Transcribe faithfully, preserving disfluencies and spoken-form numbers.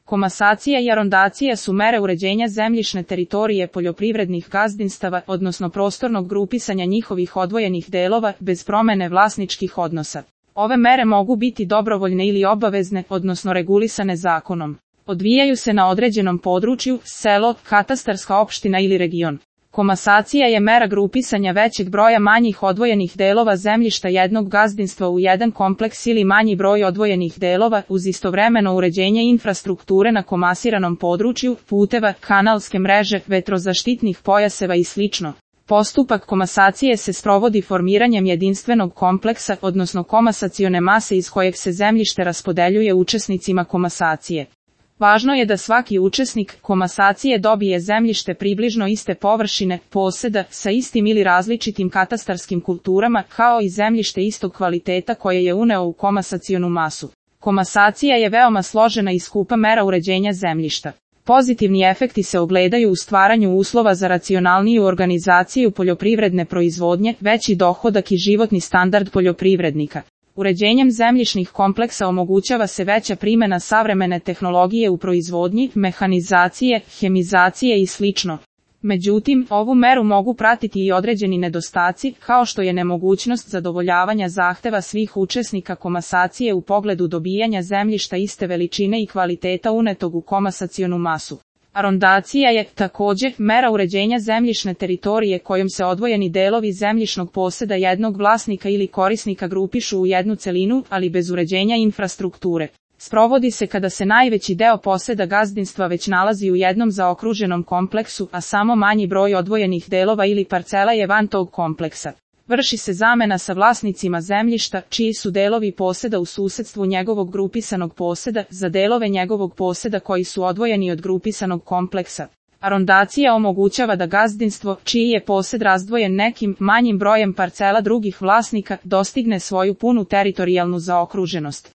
Komasacija i arondacija su mere uređenja zemljišne teritorije poljoprivrednih gazdinstava, odnosno prostornog grupisanja njihovih odvojenih delova, bez promene vlasničkih odnosa. Ove mere mogu biti dobrovoljne ili obavezne, odnosno regulisane zakonom. Odvijaju se na određenom području, selo, katastarska opština ili region. Komasacija je mera grupisanja većeg broja manjih odvojenih delova zemljišta jednog gazdinstva u jedan kompleks ili manji broj odvojenih delova, uz istovremeno uređenje infrastrukture na komasiranom području, puteva, kanalske mreže, vetrozaštitnih pojaseva i sl. Postupak komasacije se sprovodi formiranjem jedinstvenog kompleksa, odnosno komasacione mase iz kojeg se zemljište raspodeljuje učesnicima komasacije. Važno je da svaki učesnik komasacije dobije zemljište približno iste površine, poseda, sa istim ili različitim katastarskim kulturama, kao i zemljište istog kvaliteta koje je uneo u komasacionu masu. Komasacija je veoma složena i skupa mera uređenja zemljišta. Pozitivni efekti se ogledaju u stvaranju uslova za racionalniju organizaciju poljoprivredne proizvodnje, veći dohodak i životni standard poljoprivrednika. Uređenjem zemljišnih kompleksa omogućava se veća primjena savremene tehnologije u proizvodnji, mehanizacije, hemizacije i sl. Međutim, ovu meru mogu pratiti i određeni nedostaci, kao što je nemogućnost zadovoljavanja zahteva svih učesnika komasacije u pogledu dobijanja zemljišta iste veličine i kvaliteta unetog u komasacionu masu. Arondacija je, također, mera uređenja zemljišne teritorije kojom se odvojeni delovi zemljišnog poseda jednog vlasnika ili korisnika grupišu u jednu celinu, ali bez uređenja infrastrukture. Sprovodi se kada se najveći deo poseda gazdinstva već nalazi u jednom zaokruženom kompleksu, a samo manji broj odvojenih delova ili parcela je van tog kompleksa. Vrši se zamena sa vlasnicima zemljišta, čiji su delovi poseda u susedstvu njegovog grupisanog poseda, za delove njegovog poseda koji su odvojeni od grupisanog kompleksa. Arondacija omogućava da gazdinstvo, čiji je posed razdvojen nekim manjim brojem parcela drugih vlasnika, dostigne svoju punu teritorijalnu zaokruženost.